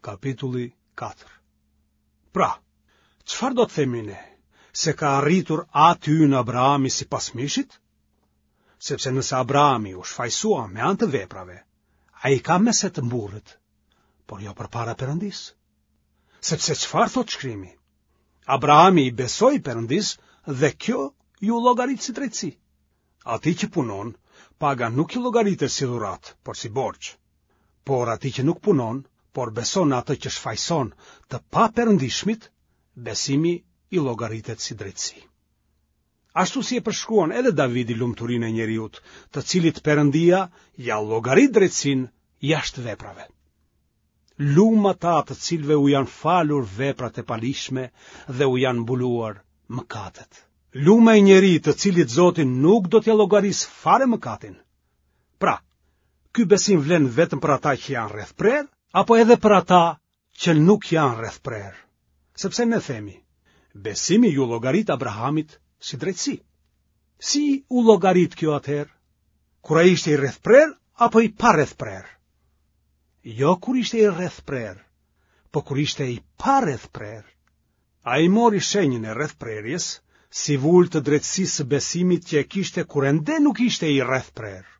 Kapitulli 4. Pra, çfarë do të themi ne? Se ka arritur ati ynë Abrahami sipas mishit? Sepse nëse Abrahami u shfajësua me anë të veprave, ai ka me se të mburret, por jo përpara Perëndisë. Sepse çfarë thotë shkrimi? Abrahami i besoi Perëndisë dhe kjo iu llogarit si drejtësi. Atij që punon, paga nuk i llogaritet si dhuratë, por si borxh. Por atij që nuk punon, por beson në atë që shfajëson të paperëndishmit, besimi i llogaritet si drejtësi. Ashtu si e përshkruan edhe Davidi lumturinë e njeriut, të cilit Perëndia ia llogarit drejtësinë jashtë veprave. Lum ata të cilëve u janë falur veprat e paligjshme dhe u janë mbuluar mëkatet. Lum ai njeri të cilit Zoti nuk do t'ia llogarisë fare mëkatin. Pra, ky besim vlen vetëm për ata që janë rrethprerë, apo edhe për ata që nuk janë rrethprerë. Sepse ne themi, besimi iu llogarit Abrahamit si drejtësi. Si u llogarit kjo atëherë? Kur ai ishte i rrethprerë apo i parrethprerë? Jo kur ishte i rrethprerë, po kur ishte i parrethprerë. Ai mori shenjën e rrethprerjes si vulë të drejtësisë së besimit që e kishte kur ende nuk ishte i rrethprerë.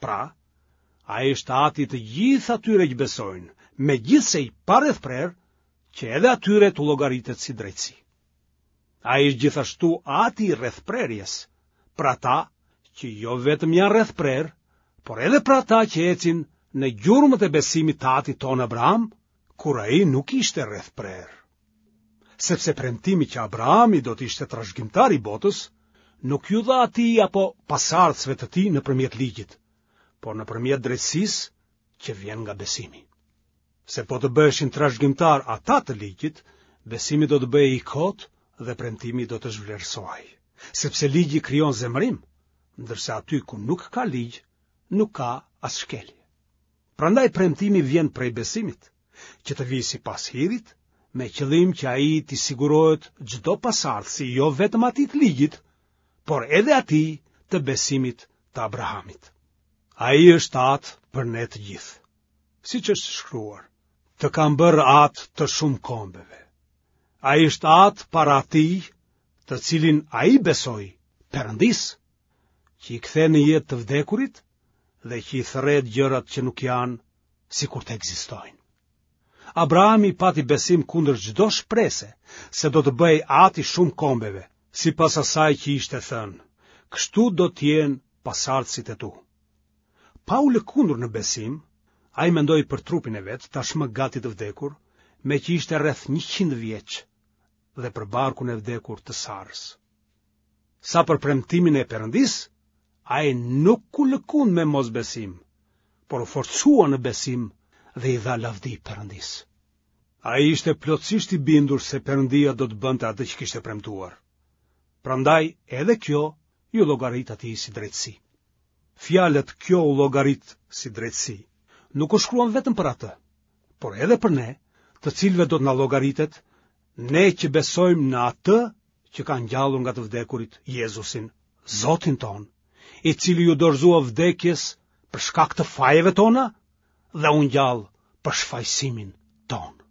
Pra, ai është ati i të gjithë atyre që besojnë, megjithëse i parrethprerë, që edhe atyre t'u llogaritet si drejtësi. Ai është gjithashtu ati i rrethprerjes, për ata që jo vetëm janë rrethprerë, por edhe për ata që ecin në gjurmët e besimit të atit tonë Abraham, kur ai nuk ishte rrethprerë. Sepse premtimi që Abrahami do të ishte trashëgimtar i botës, nuk iu dha atij apo pasardhësve të tij nëpërmjet ligjit, por nëpërmjet drejtësisë që vjen nga besimi. Se po të bëheshin trashëgimtarë ata të ligjit, besimi do të bëhej i kotë dhe premtimi do të zhvlerësohej. Sepse ligji krijon zemërim, ndërsa aty ku nuk ka ligj, nuk ka as shkelje. Prandaj premtimi vjen prej besimit, që të vijë sipas hirit, me qëllim që ai t'i sigurohet çdo pasardhësi, jo vetëm atij të ligjit, por edhe atij të besimit të Abrahamit. Ai është atë për ne të gjithë. Siç është shkruar, të kam bërë atë të shumë kombeve. Ai është atë para atij, të cilin ai besoi, Perëndisë, që i kthen në jetë të vdekurit dhe që i thërret gjërat që nuk janë sikur të ekzistojnë. Abrahami pati besim kundër çdo shprese se do të bëhej atë i shumë kombeve, sipas asaj që ishte thënë, kështu do të jenë pasardhësit e tu. Pa u lëkundur në besim, ai mendoi për trupin e vet, tashmë gati të vdekur, meqë ishte rreth 100 vjeç, dhe për barkun e vdekur të Sarës. Sa për premtimin e Perëndisë, ai nuk u lëkund me mosbesim, por u forcua në besim dhe i dha lavdi Perëndisë. Ai ishte plotësisht i bindur se Perëndia do të bënte atë që kishte premtuar. Prandaj edhe kjo iu llogarit atij si drejtësi. Fjalët kjo u llogarit si drejtësi nuk u shkruan vetëm për atë, por edhe për ne, të cilëve do të na llogaritet, ne që besojmë në atë që ka ngjallur nga të vdekurit Jezusin, Zotin tonë, i cili iu dorëzua vdekjes për shkak të fajeve tona dhe u ngjall për shfajësimin tonë.